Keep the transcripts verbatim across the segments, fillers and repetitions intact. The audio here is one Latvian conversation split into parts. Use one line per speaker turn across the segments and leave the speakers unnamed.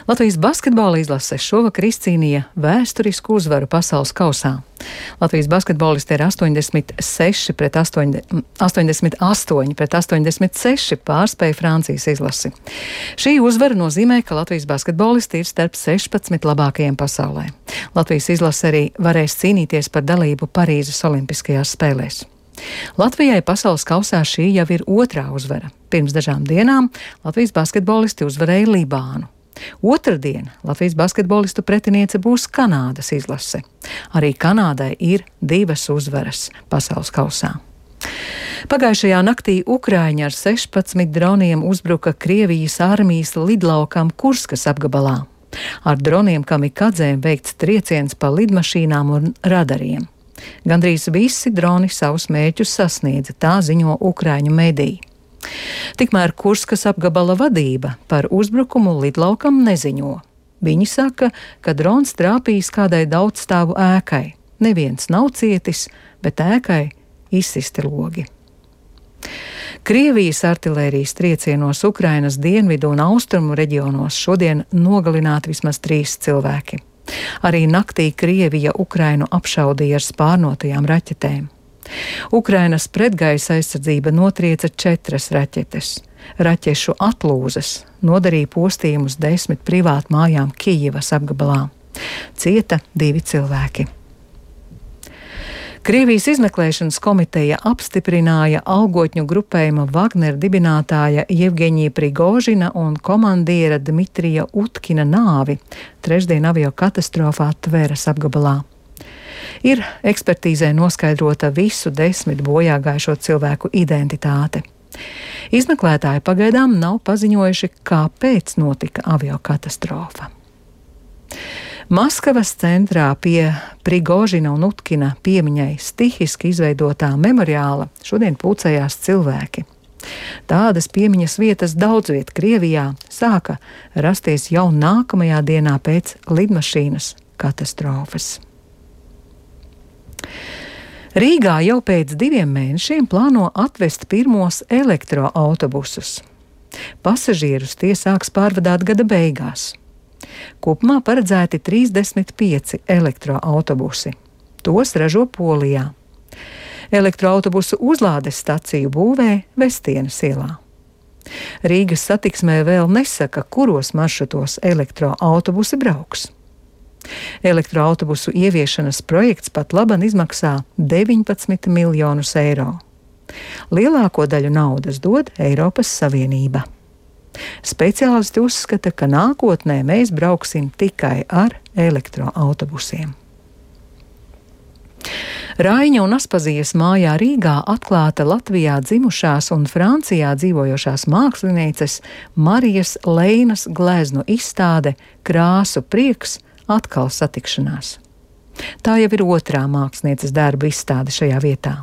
Latvijas basketbola izlase šovakar izcīnīja vēsturisku uzvaru pasaules kausā. Latvijas basketbolisti ar astoņdesmit seši pret astoņdesmit astoņi pret astoņdesmit seši pārspēja Francijas izlasi. Šī uzvara nozīmē, ka Latvijas basketbolisti ir starp sešpadsmit labākajiem pasaulē. Latvijas izlase arī varēs cīnīties par dalību Parīzes olimpiskajās spēlēs. Latvijai pasaules kausā šī jau ir otrā uzvara. Pirms dažām dienām Latvijas basketbolisti uzvarēja Libānu. Otradien Latvijas basketbolistu pretiniece būs Kanādas izlase. Arī Kanādai ir divas uzvaras pasaules kausā. Pagājušajā naktī Ukraiņi ar sešpadsmit droniem uzbruka Krievijas armijas lidlaukam Kurskas apgabalā. Ar droniem kamikadzēm veikts trieciens pa lidmašīnām un radariem. Gandrīz visi droni savus mērķus sasniedza, tā ziņo Ukraiņu mediji. Tikmēr Kurskas apgabala vadība par uzbrukumu lidlaukam neziņo. Viņi saka, ka drons trāpījis kādai daudzstāvu ēkai. Neviens nav cietis, bet ēkai izsisti logi. Krievijas artilērijas triecienos Ukrainas dienvidu un austrumu reģionos šodien nogalināti vismaz trīs cilvēki. Arī naktī Krievija Ukrainu apšaudīja ar spārnotajām raķetēm. Ukrainas pretgaisa aizsardzība notrieca četras raķetes. Raķešu atlūzas nodarīja postījumus desmit privātu mājām Kijivas apgabalā. Cieta divi cilvēki. Krievijas izmeklēšanas komiteja apstiprināja algotņu grupējuma Wagner dibinātāja Jevgeņija Prigožina un komandiera Dmitrija Utkina nāvi trešdien avio katastrofā Tveras apgabalā. Ir ekspertīzē noskaidrota visu desmit bojāgājušo cilvēku identitāte. Izmeklētāji pagaidām nav paziņojuši, kāpēc notika avio katastrofa. Maskavas centrā pie Prigožina un Utkina piemiņai stihiski izveidotā memoriāla šodien pulcējās cilvēki. Tādas piemiņas vietas daudz viet Krievijā sāka rasties jau nākamajā dienā pēc lidmašīnas katastrofas. Rīgā jau pēc diviem mēnešiem plāno atvest pirmos elektroautobusus. Pasažierus tie sāks pārvadāt gada beigās. Kopumā paredzēti trīsdesmit pieci elektroautobusi. Tos ražo Polijā. Elektroautobusu uzlādes staciju būvē Vestienes ielā. Rīgas satiksmē vēl nesaka, kuros maršrutos elektroautobusi brauks. Elektroautobusu ieviešanas projekts pat laban izmaksā deviņpadsmit miljonus eiro. Lielāko daļu naudas dod Eiropas Savienība. Speciālisti uzskata, ka nākotnē mēs brauksim tikai ar elektroautobusiem. Raiņa un Aspazijas mājā Rīgā atklāta Latvijā dzimušās un Francijā dzīvojošās mākslinieces Marijas Leinas gleznu izstāde Krāsu prieks atkal satikšanās. Tā jau ir otrā mākslinieces darba izstāde šajā vietā.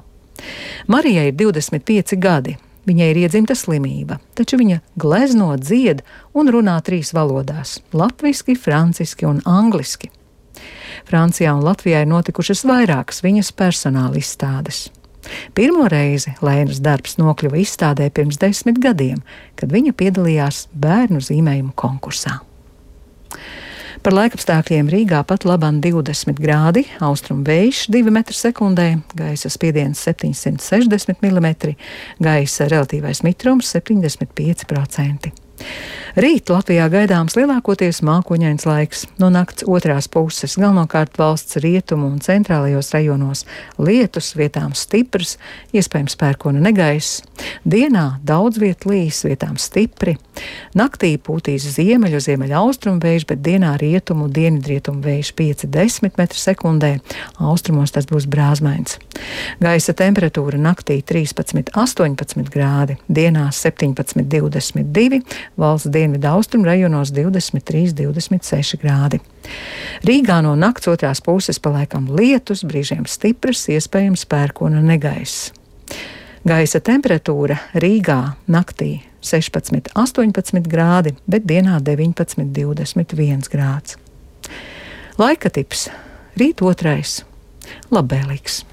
Marijai ir divdesmit pieci gadi. Viņai ir iedzimta slimība, taču viņa glezno, dzied un runā trīs valodās – latviski, franciski un angliski. Francijā un Latvijā ir notikušas vairākas viņas personāla izstādes. Pirmo reizi Leinas darbs nokļuva izstādē pirms desmit gadiem, kad viņa piedalījās bērnu zīmējumu konkursā. Par laikapstākļiem Rīgā pat laban divdesmit grādi, austrumu vējš divi metri sekundē, gaisa spiediens septiņsimt sešdesmit milimetri, gaisa relatīvais mitrums septiņdesmit pieci procenti. Rīt Latvijā gaidāms lielākoties mākoņains laiks. No nakts otrās puses galvenokārt valsts rietumu un centrālajos rajonos lietus, vietām stiprs, iespējams pērkona negaiss. Dienā daudz viet līs, vietām stipri. Naktī pūtīs ziemeļu, ziemeļa austrumu vējš, bet dienā rietumu, dienvidrietumu vējš pieci līdz desmit metri sekundē. Austrumos tas būs brāzmains. Gaisa temperatūra naktī trīspadsmit līdz astoņpadsmit grādi, dienā septiņpadsmit līdz divdesmit divi, valsts dienvidu austrumu rajonos divdesmit trīs līdz divdesmit seši grādi. Rīgā no nakts otrās puses paliekam lietus, brīžiem stiprs, iespējams pērkona negaiss. Gaisa temperatūra Rīgā naktī sešpadsmit līdz astoņpadsmit grādi, bet dienā deviņpadsmit līdz divdesmit viens grāds. Laika tips rīt otrais - labvēlīgs.